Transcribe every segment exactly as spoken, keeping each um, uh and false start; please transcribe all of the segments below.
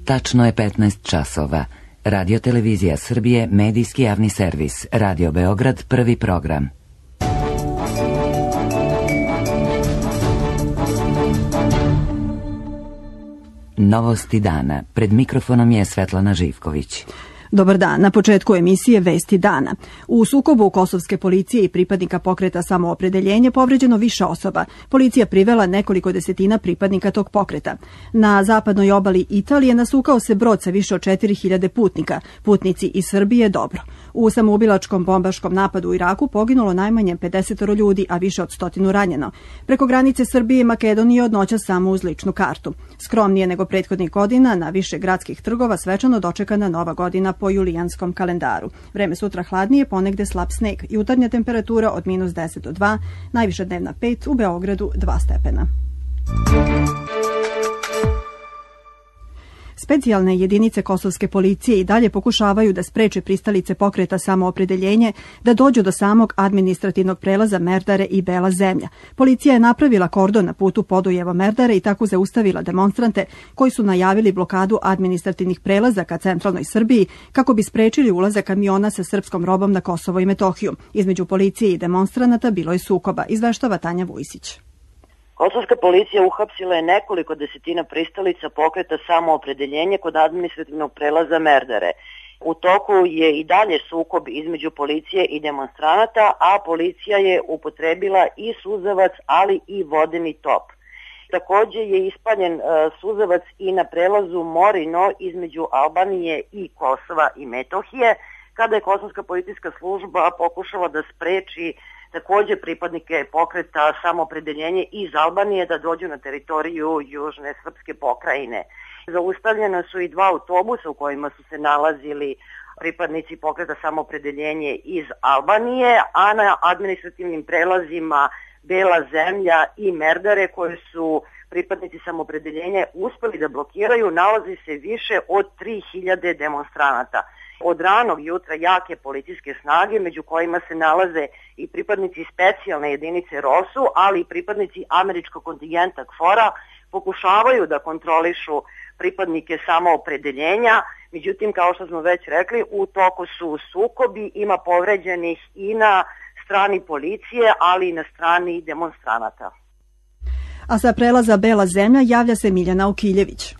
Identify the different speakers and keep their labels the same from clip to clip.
Speaker 1: Tačno je petnaest časova. Radio Televizija Srbije, medijski javni servis. Radio Beograd, prvi program. Novosti dana. Pred mikrofonom je Svetlana Živković.
Speaker 2: Dobar dan. Na početku emisije Vesti dana. U sukobu kosovske policije i pripadnika pokreta Samoopredeljenje povređeno više osoba. Policija privela nekoliko desetina pripadnika tog pokreta. Na zapadnoj obali Italije nasukao se brod sa više od četiri hiljade putnika. Putnici iz Srbije dobro. U samoubilačkom bombaškom napadu u Iraku poginulo najmanje pedeset ljudi, a više od stotinu ranjeno. Preko granice Srbije i Makedonije od noća samo uz ličnu kartu. Skromnije nego prethodnih godina, na više gradskih trgova svečano dočekana Nova godina po julijanskom kalendaru. Vreme sutra hladnije, ponegde slab sneg. Jutarnja temperatura od minus deset do dva, najviša dnevna pet, u Beogradu dva stepena. Specijalne jedinice kosovske policije i dalje pokušavaju da spreče pristalice pokreta Samoopredeljenje da dođu do samog administrativnog prelaza Merdare i Bela zemlja. Policija je napravila kordon na putu Podujevo-Merdare i tako zaustavila demonstrante koji su najavili blokadu administrativnih prelaza ka centralnoj Srbiji kako bi sprečili ulazak kamiona sa srpskom robom na Kosovo i Metohiju. Između policije i demonstranata bilo je sukoba, izveštava Tanja Vujsić.
Speaker 3: Kosovska policija uhapsila je nekoliko desetina pristalica pokreta Samoopredeljenje kod administrativnog prelaza Merdare. U toku je i dalje sukob između policije i demonstranata, a policija je upotrebila i suzavac, ali i vodeni top. Takođe je ispaljen uh, suzavac i na prelazu Morino između Albanije i Kosova i Metohije, kada je kosovska policijska služba pokušala da spreči takođe pripadnike pokreta Samoopredeljenje iz Albanije da dođu na teritoriju južne srpske pokrajine. Zaustavljena su i dva autobusa u kojima su se nalazili pripadnici pokreta Samoopredeljenje iz Albanije, a na administrativnim prelazima Bela zemlja i Merdare, koje su pripadnici Samoopredeljenja uspeli da blokiraju, nalazi se više od tri hiljade demonstranata. Od ranog jutra jake policijske snage, među kojima se nalaze i pripadnici specijalne jedinice ROSU, ali i pripadnici američkog kontingenta KFOR-a, pokušavaju da kontrolišu pripadnike Samoopredeljenja. Međutim, kao što smo već rekli, u toku su sukobi, ima povređenih i na strani policije, ali i na strani demonstranata.
Speaker 2: A sa prelaza Bela zemlja javlja se Miljana Okiljević.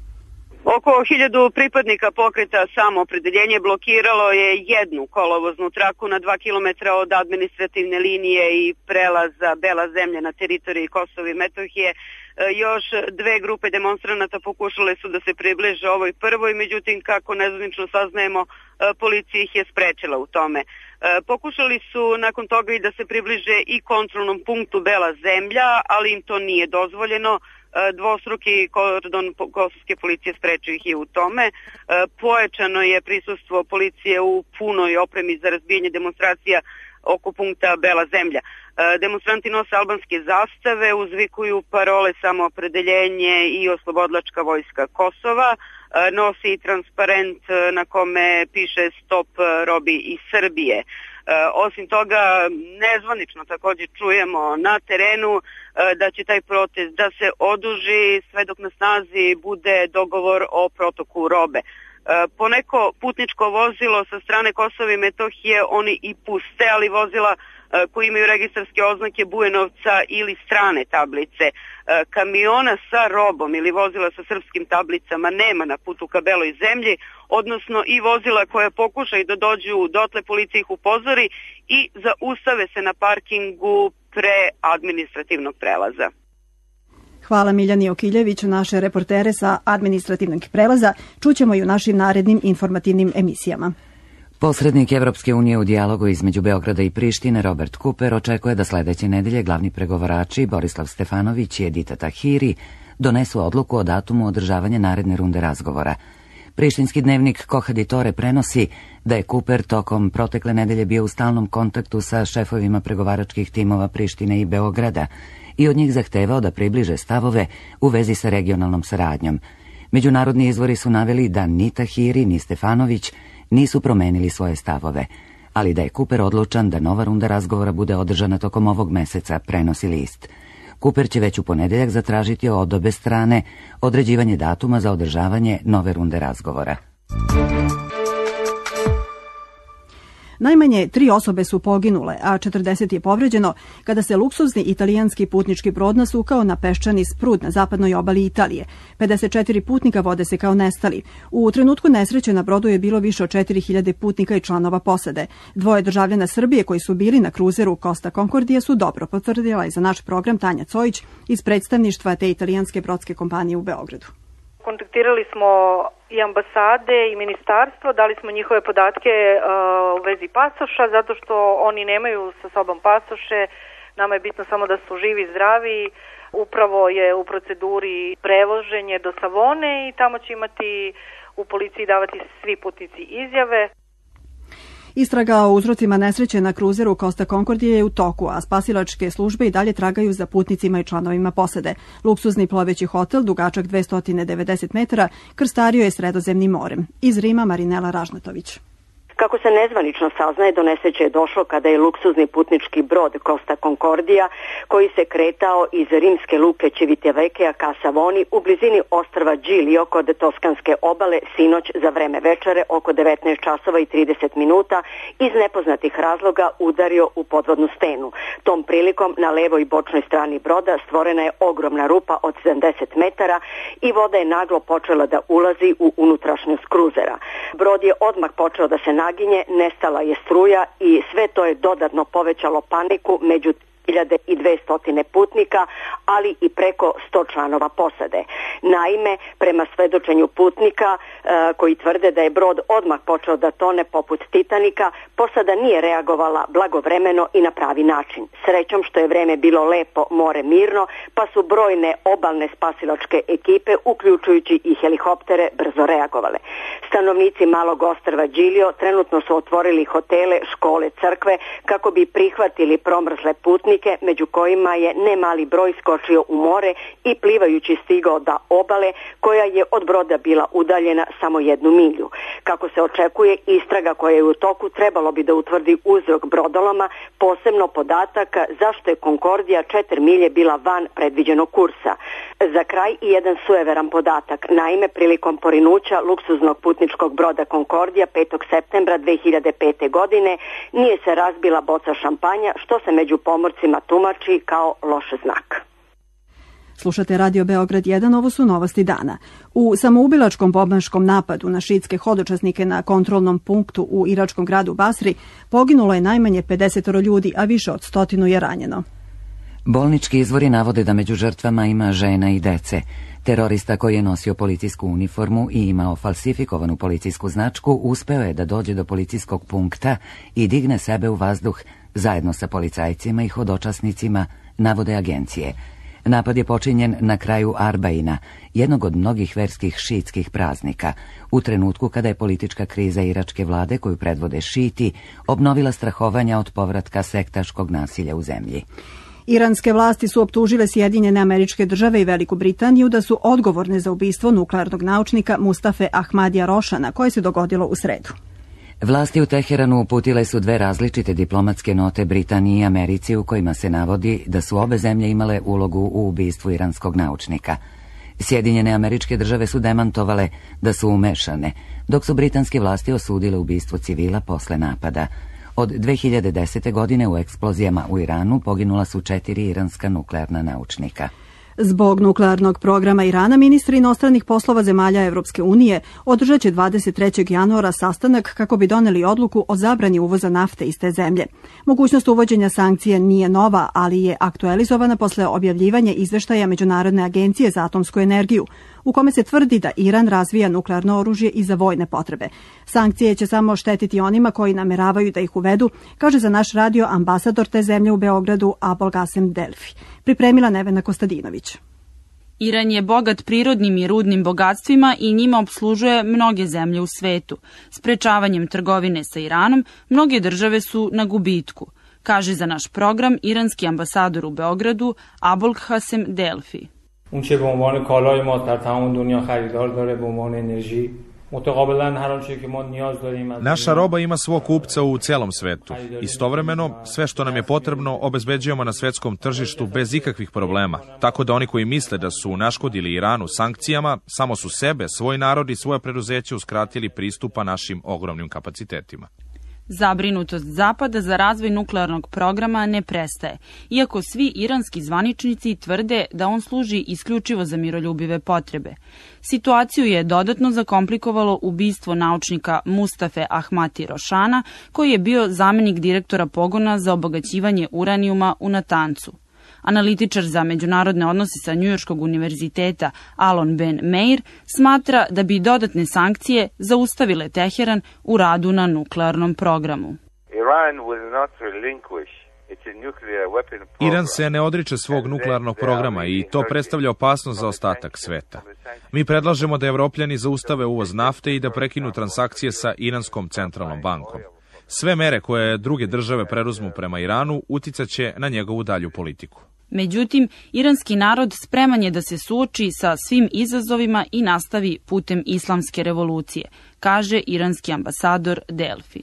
Speaker 4: Oko hiljadu pripadnika pokreta Samoopredeljenje blokiralo je jednu kolovoznu traku na dva kilometra od administrativne linije i prelaza Bela zemlja na teritoriji Kosova i Metohije. Još dve grupe demonstranata pokušale su da se približe ovoj prvoj, međutim, kako nezvanično saznajemo, policija ih je sprečila u tome. Pokušali su nakon toga i da se približe i kontrolnom punktu Bela zemlja, ali im to nije dozvoljeno. Dvostruki kordon kosovske policije sprečio ih je u tome. Pojačano je prisustvo policije u punoj opremi za razbijanje demonstracija oko punkta Bela zemlja. Demonstranti nose albanske zastave, uzvikuju parole Samoopredeljenje i Oslobodilačka vojska Kosova, nosi i transparent na kome piše Stop robi iz Srbije. Osim toga, nezvanično također čujemo na terenu da će taj protest da se oduži sve dok na snazi bude dogovor o protoku robe. Poneko putničko vozilo sa strane Kosova i Metohije oni i puste, ali vozila koji imaju registarske oznake Bujanovca ili strane tablice. Kamiona sa robom ili vozila sa srpskim tablicama nema na putu ka Beloj zemlji, odnosno i vozila koja pokušaju da dođu dotle, policija ih upozori i zaustave se na parkingu pre administrativnog prelaza.
Speaker 2: Hvala Miljani Okiljeviću, naše reportere sa administrativnog prelaza. Čućemo i u našim narednim informativnim emisijama.
Speaker 1: Posrednik Evropske unije u dijalogu između Beograda i Prištine Robert Cooper očekuje da sledeće nedelje glavni pregovarači Borislav Stefanović i Edita Tahiri donesu odluku o datumu održavanja naredne runde razgovora. Prištinski dnevnik Kohaditore prenosi da je Cooper tokom protekle nedelje bio u stalnom kontaktu sa šefovima pregovaračkih timova Prištine i Beograda i od njih zahtevao da približe stavove u vezi sa regionalnom saradnjom. Međunarodni izvori su naveli da ni Tahiri ni Stefanović nisu promenili svoje stavove, ali da je Cooper odlučan da nova runda razgovora bude održana tokom ovog meseca, prenosi list. Kuper će već u ponedeljak zatražiti od obe strane određivanje datuma za održavanje nove runde razgovora.
Speaker 2: Najmanje tri osobe su poginule, a četrdeset je povređeno kada se luksuzni italijanski putnički brod nasukao na peščani sprud na zapadnoj obali Italije. pedeset četiri putnika vode se kao nestali. U trenutku nesreće na brodu je bilo više od četiri hiljade putnika i članova posade. Dvoje državljana Srbije koji su bili na kruzeru Costa Concordia su dobro, potvrdila je za naš program Tanja Cojić iz predstavništva te italijanske brodske kompanije u Beogradu.
Speaker 5: Kontaktirali smo i ambasade i ministarstvo, dali smo njihove podatke uh, u vezi pasoša, zato što oni nemaju sa sobom pasoše. Nama je bitno samo da su živi i zdravi. Upravo je u proceduri prevoženje do Savone i tamo će imati u policiji davati svi putnici izjave.
Speaker 2: Istraga o uzrocima nesreće na kruzeru Costa Concordia je u toku, a spasilačke službe i dalje tragaju za putnicima i članovima posade. Luksuzni ploveći hotel, dugačak dvesta devedeset metara, krstario je Sredozemnim morem. Iz Rima Marinela Ražnatović.
Speaker 6: Kako se nezvanično saznaje, do nesreće je došlo kada je luksuzni putnički brod Costa Concordia, koji se kretao iz rimske luke Civitavecchia ka Savoni u blizini ostrva Giglio kod Toskanske obale sinoć za vreme večere oko devetnaest časova i trideset minuta iz nepoznatih razloga udario u podvodnu stenu. Tom prilikom na levoj bočnoj strani broda stvorena je ogromna rupa od sedamdeset metara i voda je naglo počela da ulazi u unutrašnjost kruzera. Brod je odmah počeo da se naginje, nestala je struja i sve to je dodatno povećalo paniku među hiljade i dvesta putnika, ali i preko sto članova posade. Naime, prema svedočenju putnika e, koji tvrde da je brod odmah počeo da tone poput Titanika, posada nije reagovala blagovremeno i na pravi način. Srećom što je vreme bilo lepo, more mirno, pa su brojne obalne spasilačke ekipe, uključujući i helikoptere, brzo reagovale. Stanovnici malog ostrva Giglio trenutno su otvorili hotele, škole, crkve kako bi prihvatili promrzle putnike, među kojima je nemali broj skočio u more i plivajući stigao do obale koja je od broda bila udaljena samo jednu milju. Kako se očekuje, istraga koja je u toku trebalo bi da utvrdi uzrok brodoloma, posebno podatak zašto je Concordia četiri milje bila van predviđenog kursa. Za kraj i jedan sujeveran podatak. Naime, prilikom porinuća luksuznog putničkog broda Concordia petog septembra dve hiljade pete. godine nije se razbila boca šampanja, što se među pomorcima tumači kao loš znak.
Speaker 2: Slušate Radio Beograd jedan, ovo su novosti dana. U samoubilačkom bombaškom napadu na šiitske hodočasnike na kontrolnom punktu u iračkom gradu Basri poginulo je najmanje pedeset ljudi, a više od stotinu je ranjeno.
Speaker 1: Bolnički izvori navode da među žrtvama ima žena i dece. Terorista koji je nosio policijsku uniformu i imao falsifikovanu policijsku značku uspeo je da dođe do policijskog punkta i digne sebe u vazduh zajedno sa policajcima i hodočasnicima, navode agencije. Napad je počinjen na kraju Arbaina, jednog od mnogih verskih šiitskih praznika, u trenutku kada je politička kriza iračke vlade, koju predvode šiti, obnovila strahovanja od povratka sektaškog nasilja u zemlji.
Speaker 2: Iranske vlasti su optužile Sjedinjene Američke Države i Veliku Britaniju da su odgovorne za ubistvo nuklearnog naučnika Mustafe Ahmadija Rošana, koje se dogodilo u sredu.
Speaker 1: Vlasti u Teheranu uputile su dve različite diplomatske note Britaniji i Americi u kojima se navodi da su obe zemlje imale ulogu u ubistvu iranskog naučnika. Sjedinjene Američke Države su demantovale da su umešane, dok su britanske vlasti osudile ubistvo civila posle napada. Od dve hiljade desete. godine u eksplozijama u Iranu poginula su četiri iranska nuklearna naučnika.
Speaker 2: Zbog nuklearnog programa Irana, ministri inostranih poslova zemalja Evropske unije održat će dvadeset trećeg januara sastanak kako bi doneli odluku o zabrani uvoza nafte iz te zemlje. Mogućnost uvođenja sankcije nije nova, ali je aktualizovana posle objavljivanja izveštaja Međunarodne agencije za atomsku energiju, u kome se tvrdi da Iran razvija nuklearno oružje i za vojne potrebe. Sankcije će samo štetiti onima koji nameravaju da ih uvedu, kaže za naš radio ambasador te zemlje u Beogradu Abolgasem Delfi. Pripremila Nevena Kostadinović.
Speaker 7: Iran je bogat prirodnim i rudnim bogatstvima i njima opslužuje mnoge zemlje u svetu. Sprečavanjem trgovine sa Iranom, mnoge države su na gubitku, kaže za naš program iranski ambasador u Beogradu Abolgasem Delfi.
Speaker 8: اون چه به عنوان کالای ما در تمام دنیا خریدار داره به عنوان انرژی Naša roba ima svog kupca u celom svetu. Istovremeno, sve što nam je potrebno obezbeđujemo na svetskom tržištu bez ikakvih problema. Tako da oni koji misle da su naškodili Iranu sankcijama, samo su sebe, svoj narod i svoje preduzeće uskratili pristupa našim ogromnim kapacitetima.
Speaker 7: Zabrinutost Zapada za razvoj nuklearnog programa ne prestaje, iako svi iranski zvaničnici tvrde da on služi isključivo za miroljubive potrebe. Situaciju je dodatno zakomplikovalo ubistvo naučnika Mustafe Ahmati Rošana, koji je bio zamenik direktora pogona za obogaćivanje uranijuma u Natancu. Analitičar za međunarodne odnose sa Njujorškog univerziteta Alon Ben Meir smatra da bi dodatne sankcije zaustavile Teheran u radu na nuklearnom programu.
Speaker 8: Iran se ne odriče svog nuklearnog programa i to predstavlja opasnost za ostatak sveta. Mi predlažemo da Evropljani zaustave uvoz nafte i da prekinu transakcije sa Iranskom centralnom bankom. Sve mere koje druge države preduzmu prema Iranu uticaće na njegovu dalju politiku.
Speaker 7: Međutim, iranski narod spreman je da se suoči sa svim izazovima i nastavi putem islamske revolucije, kaže iranski ambasador Delfi.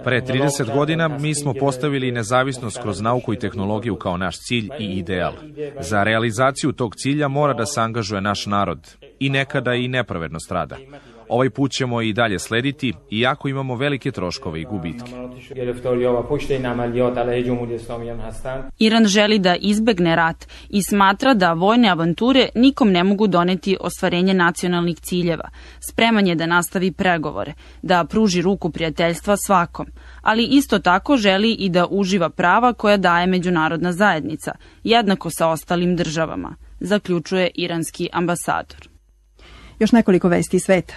Speaker 8: Pre trideset godina mi smo postavili nezavisnost kroz nauku i tehnologiju kao naš cilj i ideal. Za realizaciju tog cilja mora da se angažuje naš narod i nekada i nepravedno strada. Ovaj put ćemo i dalje slediti, iako imamo velike troškove i gubitke.
Speaker 7: Iran želi da izbegne rat i smatra da vojne avanture nikom ne mogu doneti ostvarenje nacionalnih ciljeva. Spreman je da nastavi pregovore, da pruži ruku prijateljstva svakom, ali isto tako želi i da uživa prava koja daje međunarodna zajednica, jednako sa ostalim državama, zaključuje iranski ambasador.
Speaker 2: Još nekoliko vesti iz sveta.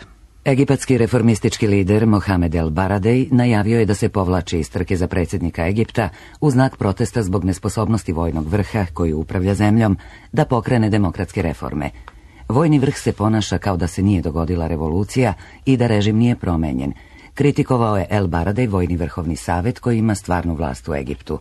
Speaker 1: Egipatski reformistički lider Mohamed El Baradej najavio je da se povlači iz trke za predsjednika Egipta u znak protesta zbog nesposobnosti vojnog vrha koji upravlja zemljom da pokrene demokratske reforme. Vojni vrh se ponaša kao da se nije dogodila revolucija i da režim nije promenjen. Kritikovao je El Baradej vojni vrhovni savet koji ima stvarnu vlast u Egiptu.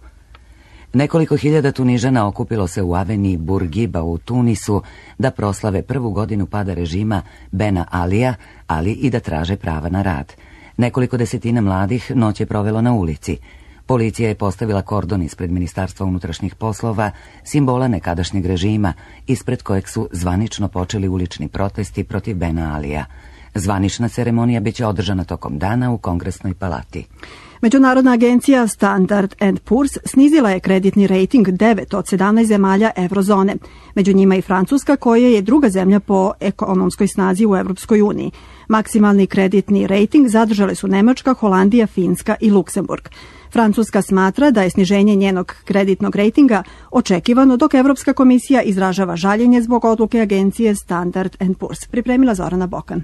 Speaker 1: Nekoliko hiljada Tunižana okupilo se u aveniji Bourguiba u Tunisu da proslave prvu godinu pada režima Bena Alija, ali i da traže prava na rad. Nekoliko desetina mladih noć je provelo na ulici. Policija je postavila kordon ispred Ministarstva unutrašnjih poslova, simbola nekadašnjeg režima, ispred kojeg su zvanično počeli ulični protesti protiv Bena Alija. Zvanična ceremonija biće održana tokom dana u Kongresnoj palati.
Speaker 2: Međunarodna agencija Standard and Poor's snizila je kreditni rejting devet od sedamnaest zemalja eurozone, među njima i Francuska koja je druga zemlja po ekonomskoj snazi u Evropskoj uniji. Maksimalni kreditni rejting zadržale su Nemačka, Holandija, Finska i Luksemburg. Francuska smatra da je sniženje njenog kreditnog rejtinga očekivano, dok Evropska komisija izražava žaljenje zbog odluke agencije Standard and Poor's. Pripremila Zorana Bokan.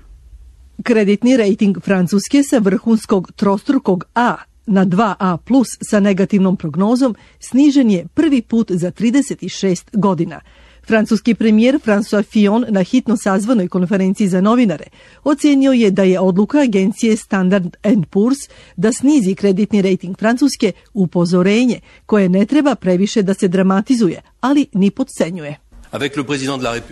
Speaker 9: Kreditni rejting Francuske sa vrhunskog trostrukog A na dva A plus sa negativnom prognozom snižen je prvi put za trideset šest godina. Francuski premijer François Fillon na hitno sazvanoj konferenciji za novinare ocenio je da je odluka agencije Standard and Poor's da snizi kreditni rejting Francuske upozorenje koje ne treba previše da se dramatizuje, ali ni podcenjuje.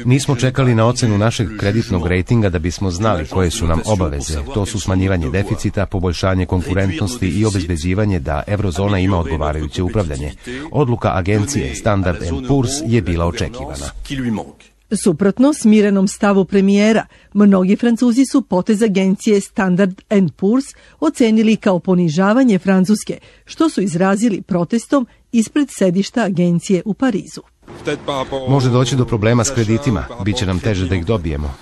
Speaker 10: Nismo čekali na ocenu našeg kreditnog rejtinga da bismo znali koje su nam obaveze. To su smanjivanje deficita, poboljšanje konkurentnosti i obezbeđivanje da eurozona ima odgovarajuće upravljanje. Odluka agencije Standard and Poor's je bila očekivana.
Speaker 9: Suprotno smirenom stavu premijera, mnogi Francuzi su potez agencije Standard and Poor's ocenili kao ponižavanje Francuske, što su izrazili protestom ispred sedišta agencije u Parizu.
Speaker 10: Može doći do problema s kreditima, bit će nam teže da ih dobijemo.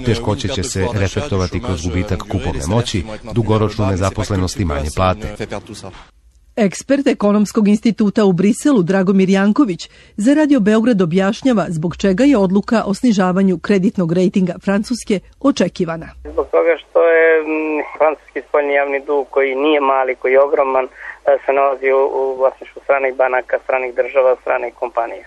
Speaker 10: Teškoće će se reflektovati kroz gubitak kupovne moći, dugoročnu nezaposlenost i manje plate.
Speaker 9: Ekspert Ekonomskog instituta u Briselu Dragomir Janković za Radio Beograd objašnjava zbog čega je odluka o snižavanju kreditnog rejtinga Francuske očekivana.
Speaker 11: Zbog toga što je francuski spoljni javni dug koji nije mali, koji je ogroman, se nalazi u vlasništvu stranih banaka, stranih država, stranih kompanija.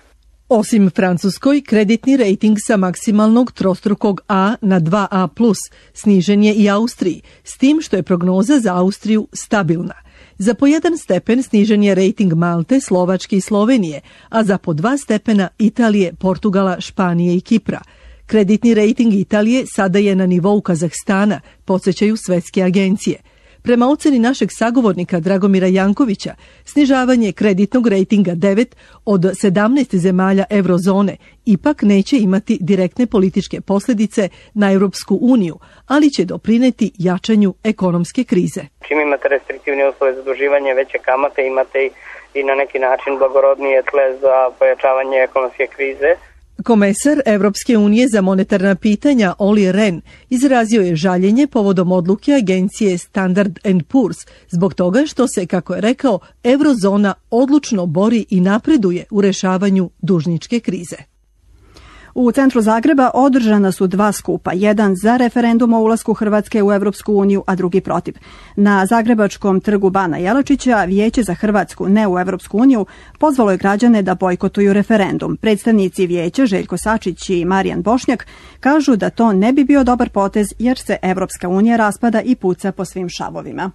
Speaker 9: Osim Francuskoj, kreditni rejting sa maksimalnog trostrukog A na dva A plus snižen je i Austriji, s tim što je prognoza za Austriju stabilna. Za po jedan stepen snižen je rejting Malte, Slovačke i Slovenije, a za po dva stepena Italije, Portugala, Španije i Kipra. Kreditni rejting Italije sada je na nivou Kazahstana, podsjećaju svetske agencije. Prema oceni našeg sagovornika Dragomira Jankovića, snižavanje kreditnog rejtinga devet od sedamnaest zemalja eurozone ipak neće imati direktne političke posljedice na Europsku uniju, ali će doprineti jačanju ekonomske krize.
Speaker 11: Čim imate restriktivne uslove za zaduživanje, veće kamate, imate i na neki način blagorodnije tle za pojačavanje ekonomske krize.
Speaker 9: Komesar Evropske unije za monetarna pitanja Olli Rehn izrazio je žaljenje povodom odluke agencije Standard and Poor's zbog toga što se, kako je rekao, eurozona odlučno bori i napreduje u rešavanju dužničke krize.
Speaker 2: U centru Zagreba održana su dva skupa, jedan za referendum o ulasku Hrvatske u Evropsku uniju, a drugi protiv. Na Zagrebačkom trgu Bana Jelačića Vijeće za Hrvatsku ne u Evropsku uniju pozvalo je građane da bojkotuju referendum. Predstavnici vijeća Željko Sačić i Marijan Bošnjak kažu da to ne bi bio dobar potez jer se Evropska unija raspada i puca po svim šavovima.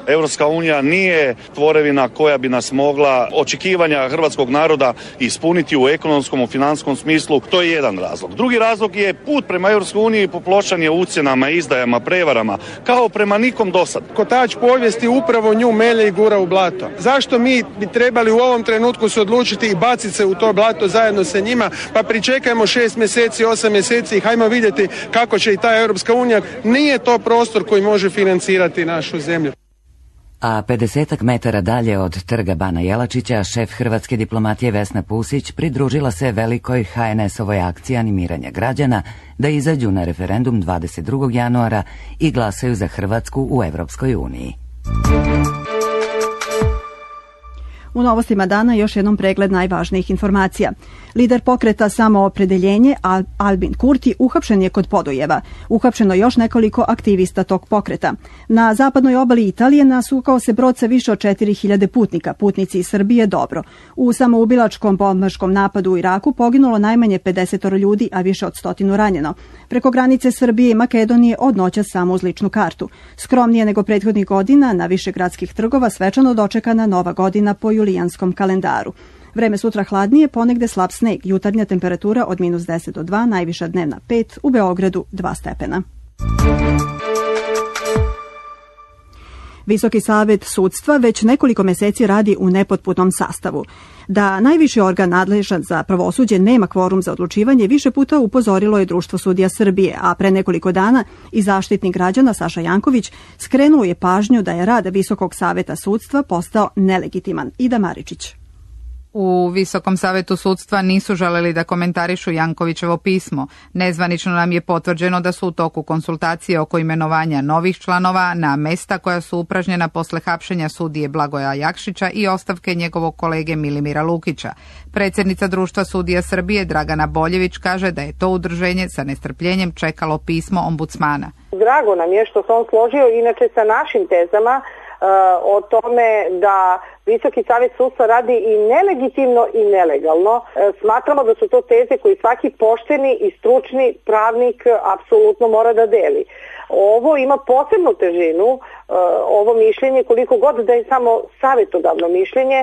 Speaker 12: Europska unija nije tvorevina koja bi nas mogla očekivanja hrvatskog naroda ispuniti u ekonomskom, u financijskom smislu. To je jedan razlog. Drugi razlog je put prema Europskoj uniji popločan je ucjenama, izdajama, prevarama, kao prema nikom dosad.
Speaker 13: Kotač povijesti upravo nju melje i gura u blato. Zašto mi bi trebali u ovom trenutku se odlučiti i baciti se u to blato zajedno sa njima, pa pričekajmo šest mjeseci, osam mjeseci i hajmo vidjeti kako će i ta Europska unija. Nije to prostor koji može financirati našu zemlju.
Speaker 1: A pedesetak metara dalje od trga Bana Jelačića šef hrvatske diplomatije Vesna Pusić pridružila se velikoj ha en es-ovoj akciji animiranja građana da izađu na referendum dvadeset drugog januara i glasaju za Hrvatsku u Evropskoj uniji.
Speaker 2: U novostima dana još jednom pregled najvažnijih informacija. Lider pokreta Samoopredeljenje Al- Albin Kurti uhapšen je kod Podujeva. Uhapšeno još nekoliko aktivista tog pokreta. Na zapadnoj obali Italije nasukao se brod sa više od četiri hiljade putnika. Putnici iz Srbije dobro. U samoubilačkom bombaškom napadu u Iraku poginulo najmanje pedeset ljudi, a više od stotinu ranjeno. Preko granice Srbije i Makedonije od noća samo uz ličnu kartu. Skromnije nego prethodnih godina na više gradskih trgova svečano dočekana nova godina po julijanskom kalendaru. Vreme sutra hladnije, ponegde slab sneg, jutarnja temperatura od minus deset do dva, najviša dnevna pet, u Beogradu dva stepena. Visoki savet sudstva već nekoliko meseci radi u nepotpunom sastavu. Da najviši organ nadležan za pravosuđe nema kvorum za odlučivanje, više puta upozorilo je Društvo sudija Srbije, a pre nekoliko dana i zaštitnik građana Saša Janković skrenuo je pažnju da je rad Visokog saveta sudstva postao nelegitiman. Ida Maričić.
Speaker 14: U Visokom savetu sudstva nisu želeli da komentarišu Jankovićevo pismo. Nezvanično nam je potvrđeno da su u toku konsultacije oko imenovanja novih članova na mesta koja su upražnjena posle hapšenja sudije Blagoja Jakšića i ostavke njegovog kolege Milimira Lukića. Predsjednica Društva sudija Srbije Dragana Boljević kaže da je to udruženje sa nestrpljenjem čekalo pismo ombudsmana.
Speaker 15: Drago nam je što se on složio inače sa našim tezama o tome da Visoki savjet sudstva radi i nelegitimno i nelegalno. Smatramo da su to teze koji svaki pošteni i stručni pravnik apsolutno mora da deli. Ovo ima posebnu težinu, ovo mišljenje, koliko god da je samo savjetodavno mišljenje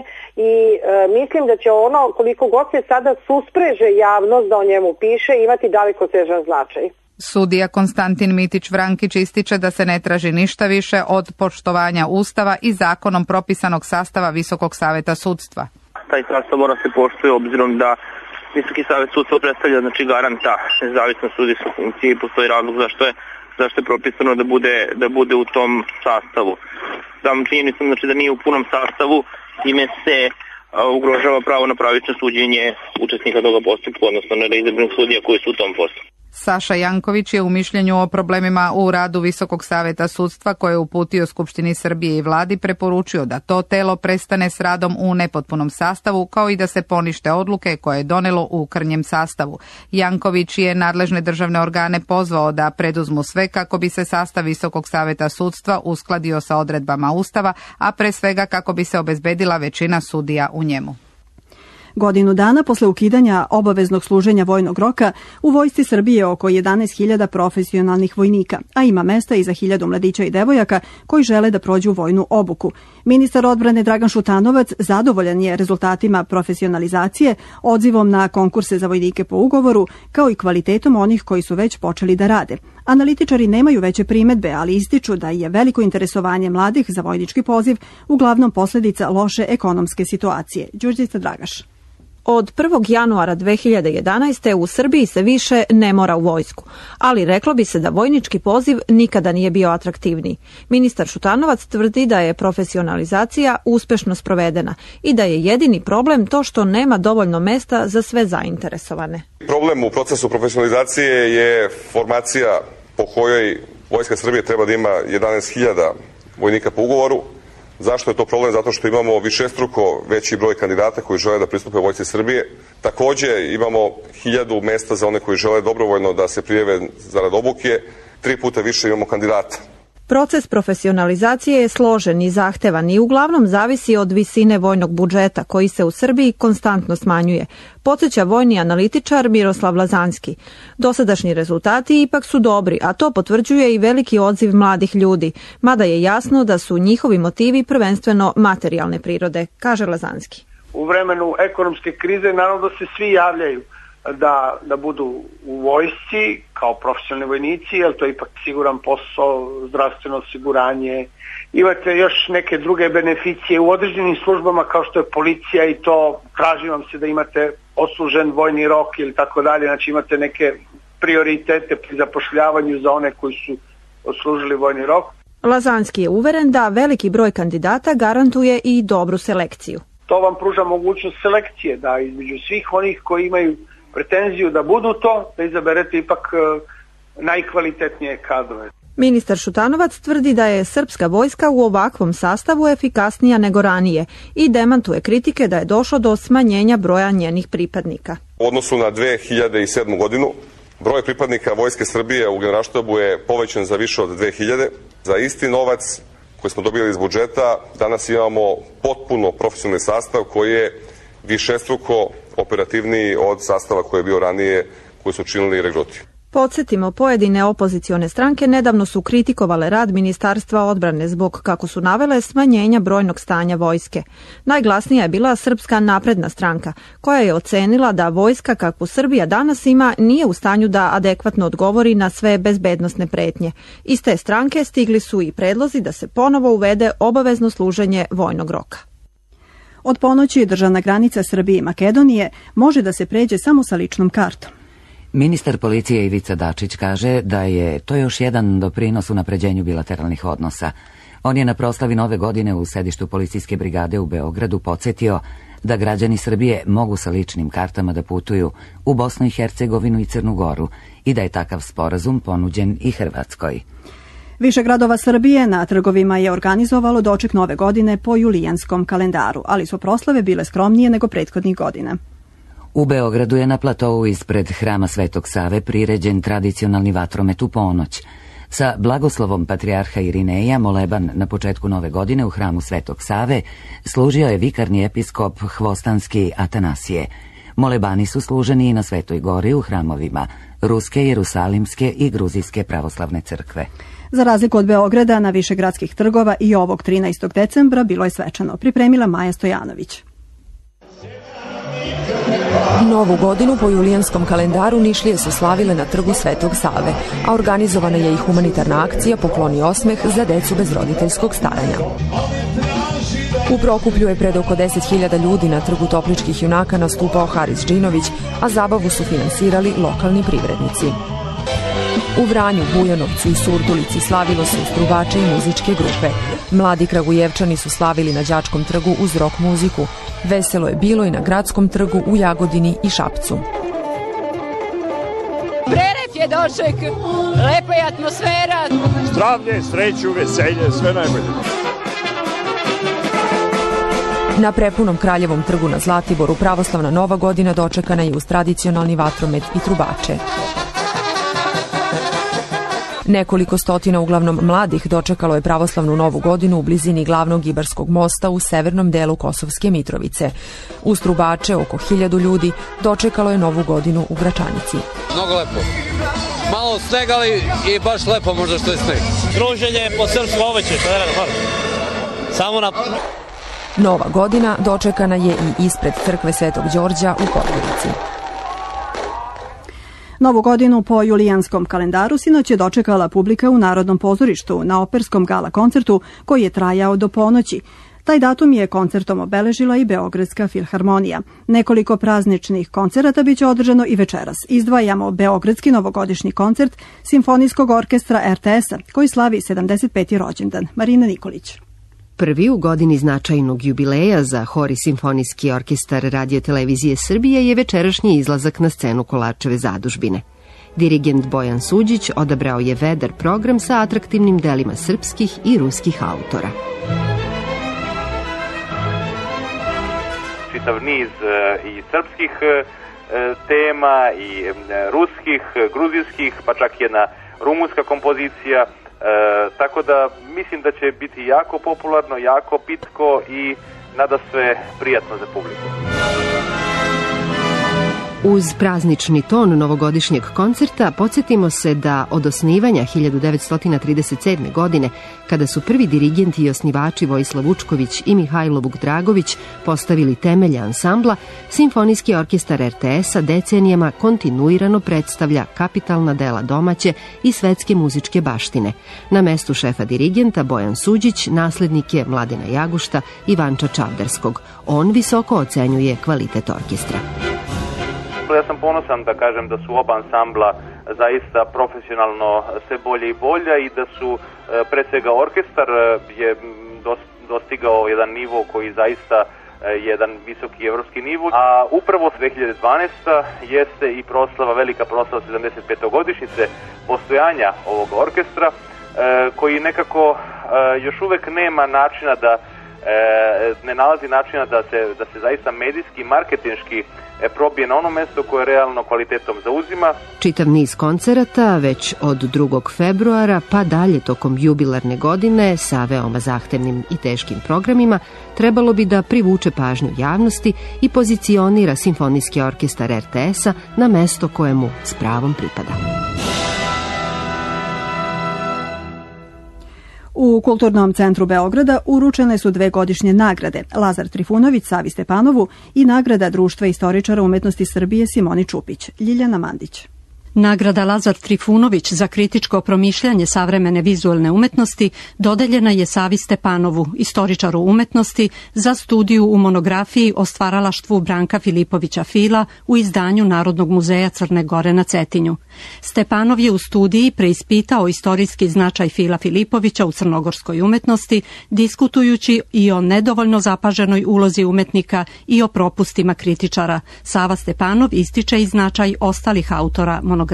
Speaker 15: i mislim da će ono, koliko god se sada suspreže javnost da o njemu piše, imati dalekosežan značaj.
Speaker 14: Sudija Konstantin Mitić Vrankić ističe da se ne traži ništa više od poštovanja Ustava i zakonom propisanog sastava Visokog saveta sudstva.
Speaker 16: Taj sastav mora se poštuje obzirom da Visoki savet sudstva predstavlja znači garanta nezavisnost sudijske funkcije i postoji razlog zašto je zašto je propisano da bude da bude u tom sastavu. Sam činjenicom znači da nije u punom sastavu, time se ugrožava pravo na pravično suđenje učesnika toga postupka, odnosno na reizabranih sudija koji su u tom postupku.
Speaker 14: Saša Janković je u mišljenju o problemima u radu Visokog saveta sudstva koje je uputio Skupštini Srbije i vladi preporučio da to telo prestane s radom u nepotpunom sastavu kao i da se ponište odluke koje je donelo u krnjem sastavu. Janković je nadležne državne organe pozvao da preduzmu sve kako bi se sastav Visokog saveta sudstva uskladio sa odredbama Ustava, a pre svega kako bi se obezbedila većina sudija u njemu.
Speaker 2: Godinu dana posle ukidanja obaveznog služenja vojnog roka, u Vojsci Srbije oko jedanaest hiljada profesionalnih vojnika, a ima mesta i za hiljadu mladića i devojaka koji žele da prođu vojnu obuku. Ministar odbrane Dragan Šutanovac zadovoljan je rezultatima profesionalizacije, odzivom na konkurse za vojnike po ugovoru, kao i kvalitetom onih koji su već počeli da rade. Analitičari nemaju veće primedbe, ali ističu da je veliko interesovanje mladih za vojnički poziv uglavnom posledica loše ekonomske situacije. Đurđica Dragaš.
Speaker 17: Od prvog januara dve hiljade jedanaeste. u Srbiji se više ne mora u vojsku, ali reklo bi se da vojnički poziv nikada nije bio atraktivniji. Ministar Šutanovac tvrdi da je profesionalizacija uspešno sprovedena i da je jedini problem to što nema dovoljno mesta za sve zainteresovane.
Speaker 18: Problem u procesu profesionalizacije je formacija po kojoj Vojska Srbije treba da ima jedanaest hiljada vojnika po ugovoru. Zašto je to problem? Zato što imamo višestruko veći broj kandidata koji žele da pristupe Vojsci Srbije. Takođe imamo hiljadu mesta za one koji žele dobrovoljno da se prijave zarad obuke. Tri puta više imamo kandidata.
Speaker 17: Proces profesionalizacije je složen i zahtevan i uglavnom zavisi od visine vojnog budžeta koji se u Srbiji konstantno smanjuje, podsjeća vojni analitičar Miroslav Lazanski. Dosadašnji rezultati ipak su dobri, a to potvrđuje i veliki odziv mladih ljudi, mada je jasno da su njihovi motivi prvenstveno materijalne prirode, kaže Lazanski.
Speaker 19: U vremenu ekonomske krize naravno da se svi javljaju da, da budu u vojsci kao profesionalni vojnici, jer to je ipak siguran posao, zdravstveno osiguranje. Imate još neke druge beneficije u određenim službama kao što je policija i to traži vam se da imate odslužen vojni rok ili tako dalje, znači imate neke prioritete pri zapošljavanju za one koji su odslužili vojni rok.
Speaker 17: Lazanski je uveren da veliki broj kandidata garantuje i dobru selekciju.
Speaker 19: To vam pruža mogućnost selekcije, da između svih onih koji imaju pretenziju da budu to, da izaberete ipak najkvalitetnije kadrove.
Speaker 17: Ministar Šutanovac tvrdi da je srpska vojska u ovakvom sastavu efikasnija nego ranije i demantuje kritike da je došlo do smanjenja broja njenih pripadnika.
Speaker 18: U odnosu na dve hiljade sedmu. godinu, broj pripadnika Vojske Srbije u Generalštabu je povećan za više od dve hiljade. Za isti novac koji smo dobili iz budžeta, danas imamo potpuno profesionalni sastav koji je višestruko operativniji od sastava koji je bio ranije, koji su činili regruti.
Speaker 17: Podsjetimo, pojedine opozicione stranke nedavno su kritikovale rad Ministarstva odbrane zbog, kako su navele, smanjenja brojnog stanja vojske. Najglasnija je bila Srpska napredna stranka, koja je ocenila da vojska kakvu Srbija danas ima nije u stanju da adekvatno odgovori na sve bezbednosne pretnje. Iz te stranke stigli su i predlozi da se ponovo uvede obavezno služenje vojnog roka.
Speaker 2: Od ponoći državna granica Srbije i Makedonije može da se pređe samo sa ličnom kartom.
Speaker 1: Ministar policije Ivica Dačić kaže da je to još jedan doprinos unapređenju bilateralnih odnosa. On je na proslavi Nove godine u sedištu policijske brigade u Beogradu podsjetio da građani Srbije mogu sa ličnim kartama da putuju u Bosnu i Hercegovinu i Crnu Goru i da je takav sporazum ponuđen i Hrvatskoj.
Speaker 2: Više gradova Srbije na trgovima je organizovalo doček Nove godine po julijanskom kalendaru, ali su proslave bile skromnije nego prethodnih godina.
Speaker 1: U Beogradu je na platovu ispred Hrama Svetog Save priređen tradicionalni vatromet u ponoć. Sa blagoslovom patrijarha Irineja moleban na početku Nove godine u Hramu Svetog Save služio je vikarni episkop Hvostanski Atanasije. Molebani su služeni i na Svetoj Gori u hramovima Ruske, Jerusalimske i Gruzijske pravoslavne crkve.
Speaker 2: Za razliku od Beograda, na više gradskih trgova i ovog trinaestog decembra bilo je svečano, pripremila Maja Stojanović.
Speaker 20: Novu godinu po julijanskom kalendaru Nišlije su slavile na trgu Svetog Save, a organizovana je i humanitarna akcija Pokloni osmeh za decu bez roditeljskog staranja. U Prokuplju je pred oko deset hiljada ljudi na trgu Topličkih junaka nastupao Haris Džinović, a zabavu su finansirali lokalni privrednici. U Vranju, Bujanovcu i Surdulici slavilo se uz trubače i muzičke grupe. Mladi Kragujevčani su slavili na Đačkom trgu uz rock muziku. Veselo je bilo i na Gradskom trgu u Jagodini i Šapcu.
Speaker 21: Prelep je doček, lepa je atmosfera.
Speaker 22: Zdravlje, sreću, veselje, sve najbolje.
Speaker 20: Na prepunom Kraljevom trgu na Zlatiboru pravoslavna Nova godina dočekana je uz tradicionalni vatromet i trubače. Nekoliko stotina uglavnom mladih dočekalo je pravoslavnu novu godinu u blizini glavnog Ibarskog mosta u severnom delu Kosovske Mitrovice. Uz trubače oko hiljadu ljudi dočekalo je novu godinu u Gračanici.
Speaker 3: Mnogo lepo. Malo sneg, ali i baš lepo možda što je sneg.
Speaker 4: Druženje po srpskom oveće, što je rada, samo na...
Speaker 20: Nova godina dočekana je i ispred crkve Svetog Đorđa u Podgorici.
Speaker 2: Novu godinu po julijanskom kalendaru sinoć je dočekala publika u Narodnom pozorištu na operskom gala koncertu koji je trajao do ponoći. Taj datum je koncertom obeležila i Beogradska filharmonija. Nekoliko prazničnih koncerata biće održano i večeras. Izdvajamo Beogradski novogodišnji koncert Simfonijskog orkestra er te es-a koji slavi sedamdeset peti rođendan. Marina Nikolić.
Speaker 23: Prvi u godini značajnog jubileja za Hor i Simfonijski orkestar Radio-televizije Srbije je večerašnji izlazak na scenu Kolarčeve zadužbine. Dirigent Bojan Suđić odabrao je vedar program sa atraktivnim delima srpskih i ruskih autora.
Speaker 24: Čitav niz i srpskih tema, i ruskih, gruzijskih, pa čak jedna rumunska kompozicija. E, tako da mislim da će biti jako popularno, jako pitko i nadasve prijatno za publiku.
Speaker 23: Uz praznični ton novogodišnjeg koncerta podsjetimo se da od osnivanja hiljadu devetsto trideset sedme. godine, kada su prvi dirigenti i osnivači Vojislav Vučković i Mihajlo Vukdragović postavili temelje ansambla, Simfonijski orkestar er te es-a decenijama kontinuirano predstavlja kapitalna dela domaće i svetske muzičke baštine. Na mestu šefa dirigenta Bojan Suđić naslednik je Mladena Jagušta i Vanča Čavdarskog. On visoko ocenjuje kvalitet orkestra.
Speaker 24: Ja sam ponosan da kažem da su oba ansambla zaista profesionalno sve bolje i bolje i da su pre svega orkestar je dostigao jedan nivo koji zaista je jedan visoki evropski nivo, a upravo dve hiljade dvanaesta. jeste i proslava, velika proslava sedamdeset pete godišnjice postojanja ovog orkestra koji nekako još uvek nema načina da ne nalazi načina da se, da se zaista medijski, marketinški probije na ono mesto koje realno kvalitetom zauzima.
Speaker 23: Čitav niz koncerata već od drugog februara pa dalje tokom jubilarne godine sa veoma zahtevnim i teškim programima trebalo bi da privuče pažnju javnosti i pozicionira Simfonijski orkestar er te es-a na mesto kojemu s pravom pripada.
Speaker 2: U Kulturnom centru Beograda uručene su dve godišnje nagrade, Lazar Trifunović Savi Stepanovu i nagrada Društva istoričara umetnosti Srbije Simoni Čupić. Ljiljana Mandić.
Speaker 25: Nagrada Lazar Trifunović za kritičko promišljanje savremene vizualne umetnosti dodeljena je Savi Stepanovu, istoričaru umetnosti, za studiju u monografiji o stvaralaštvu Branka Filipovića Fila u izdanju Narodnog muzeja Crne Gore na Cetinju. Stepanov je u studiji preispitao istorijski značaj Fila Filipovića u crnogorskoj umetnosti, diskutujući i o nedovoljno zapaženoj ulozi umetnika i o propustima kritičara. Sava Stepanov ističe i značaj ostalih autora monografije.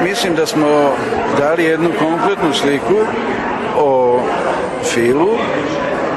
Speaker 26: Mislim da smo dali jednu kompletnu sliku o Filu,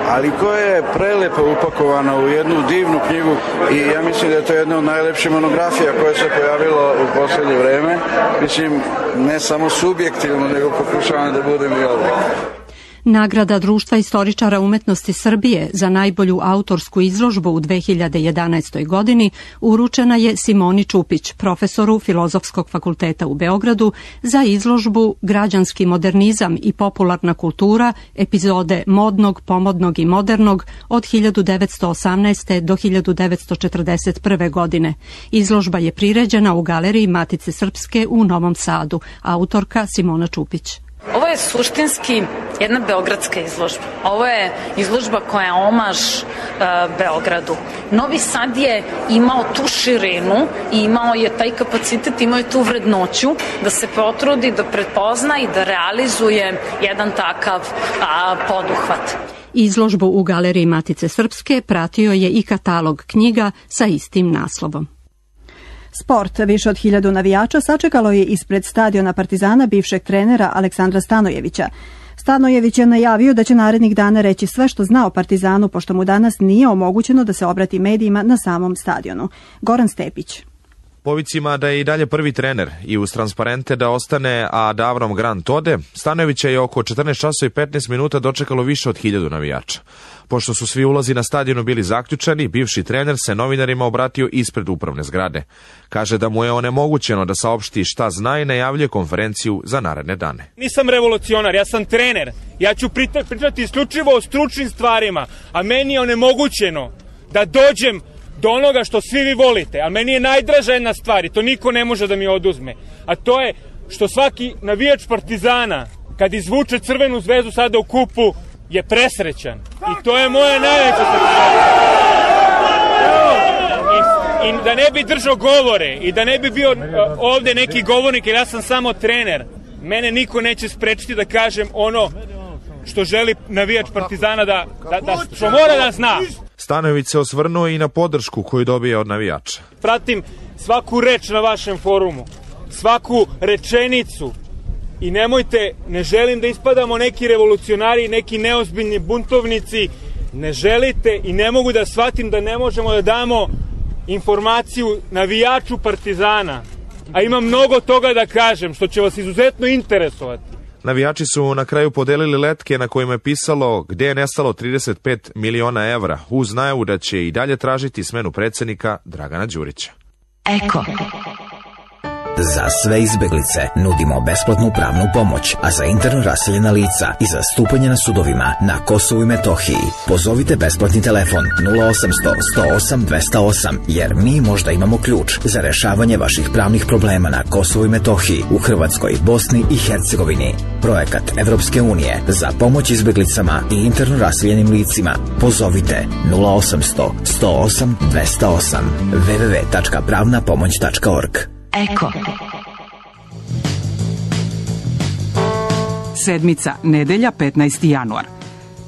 Speaker 26: ali koja je prelepo upakovana u jednu divnu knjigu i ja mislim da je to jedna od najlepših monografija koja se pojavila u poslednje vreme. Mislim, ne samo subjektivno, nego pokušavam da budem i objektivno.
Speaker 25: Nagrada Društva istoričara umetnosti Srbije za najbolju autorsku izložbu u dve hiljade jedanaestoj. godini uručena je Simoni Čupić, profesoru Filozofskog fakulteta u Beogradu, za izložbu Građanski modernizam i popularna kultura, epizode modnog, pomodnog i modernog od hiljadu devetsto osamnaeste. do hiljadu devetsto četrdeset prve. godine. Izložba je priređena u Galeriji Matice Srpske u Novom Sadu. Autorka Simona Čupić.
Speaker 27: Ovo je suštinski jedna beogradska izložba. Ovo je izložba koja je omaž e, Beogradu. Novi Sad je imao tu širinu i imao je taj kapacitet, imao je tu vrednoću da se potrudi, da prepozna i da realizuje jedan takav a, poduhvat.
Speaker 25: Izložbu u Galeriji Matice Srpske pratio je i katalog knjiga sa istim naslovom.
Speaker 2: Sport. Više od hiljadu navijača sačekalo je ispred stadiona Partizana bivšeg trenera Aleksandra Stanojevića. Stanojević je najavio da će narednih dana reći sve što zna o Partizanu, pošto mu danas nije omogućeno da se obrati medijima na samom stadionu. Goran Stepić.
Speaker 5: Po vicima da je i dalje prvi trener i uz transparente da ostane, a da Avram Grant ode, Stanojevića je oko četrnaest časova i petnaest minuta dočekalo više od hiljadu navijača. Pošto su svi ulazi na stadionu bili zaključani, bivši trener se novinarima obratio ispred upravne zgrade. Kaže da mu je onemogućeno da saopšti šta zna i najavljuje konferenciju za naredne dane.
Speaker 6: Nisam revolucionar, ja sam trener. Ja ću pričati isključivo o stručnim stvarima, a meni je onemogućeno da dođem do onoga što svi vi volite, a meni je najdraža jedna stvar i to niko ne može da mi oduzme, a to je što svaki navijač Partizana kad izvuče crvenu zvezdu sada u kupu je presrećan i to je moja najveća satisfakcija. I, I da ne bi držao govore i da ne bi bio ovde neki govornik jer ja sam samo trener, mene niko neće sprečiti da kažem ono što želi navijač Partizana da, da, da što mora da zna.
Speaker 5: Stanojević se osvrnuo i na podršku koju dobije od navijača.
Speaker 6: Pratim svaku reč na vašem forumu, svaku rečenicu i nemojte, ne želim da ispadamo neki revolucionari, neki neozbiljni buntovnici, ne želite i ne mogu da shvatim da ne možemo da damo informaciju navijaču Partizana, a ima mnogo toga da kažem što će vas izuzetno interesovati.
Speaker 5: Navijači su na kraju podelili letke na kojima je pisalo gde je nestalo trideset pet miliona evra, uz najavu da će i dalje tražiti smenu predsjednika Dragana Đurića.
Speaker 7: Eko. Za sve izbeglice nudimo besplatnu pravnu pomoć, a za interno raseljena lica i zastupanje na sudovima na Kosovu i Metohiji pozovite besplatni telefon nula osamsto sto osam dvesta osam, jer mi možda imamo ključ za rešavanje vaših pravnih problema na Kosovu i Metohiji, u Hrvatskoj, Bosni i Hercegovini. Projekat Evropske unije za pomoć izbeglicama i interno raseljenim licima. Pozovite nula osamsto sto osam dvesta osam w w w tačka pravna pomoć tačka org. Eko.
Speaker 8: Sedmica, nedelja, petnaesti januar.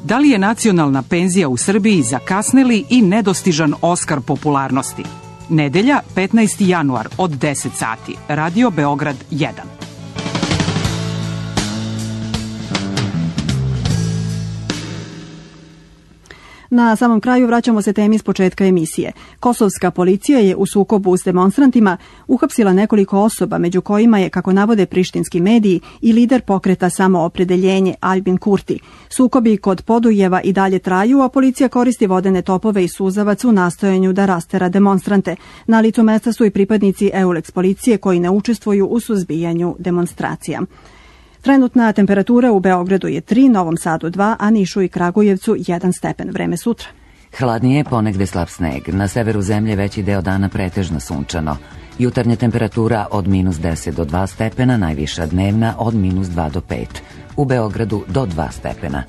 Speaker 8: Da li je nacionalna penzija u Srbiji zakasneli i nedostižan Oskar popularnosti? Nedelja, petnaesti januar od deset sati. Radio Beograd jedan.
Speaker 2: Na samom kraju vraćamo se temi s početka emisije. Kosovska policija je u sukobu s demonstrantima uhapsila nekoliko osoba, među kojima je, kako navode prištinski mediji, i lider pokreta Samoopredeljenje Albin Kurti. Sukobi kod Podujeva i dalje traju, a policija koristi vodene topove i suzavac u nastojanju da rastera demonstrante. Na licu mesta su i pripadnici Eulex policije koji ne učestvuju u suzbijanju demonstracija. Trenutna temperatura u Beogradu je tri, Novom Sadu dva, a Nišu i Kragujevcu jedan stepen. Vreme sutra.
Speaker 1: Hladnije, ponegde slab sneg. Na severu zemlje veći deo dana pretežno sunčano. Jutarnja temperatura od minus deset do dva stepena, najviša dnevna od minus dva do pet. U Beogradu do dva stepena.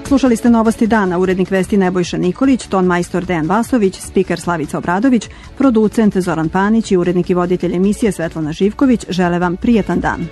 Speaker 2: Slušali ste Novosti dana, urednik vesti Nebojša Nikolić, ton majstor Dejan Vasović, spiker Slavica Obradović, producent Zoran Panić i urednik i voditelj emisije Svetlana Živković. Žele vam prijetan dan.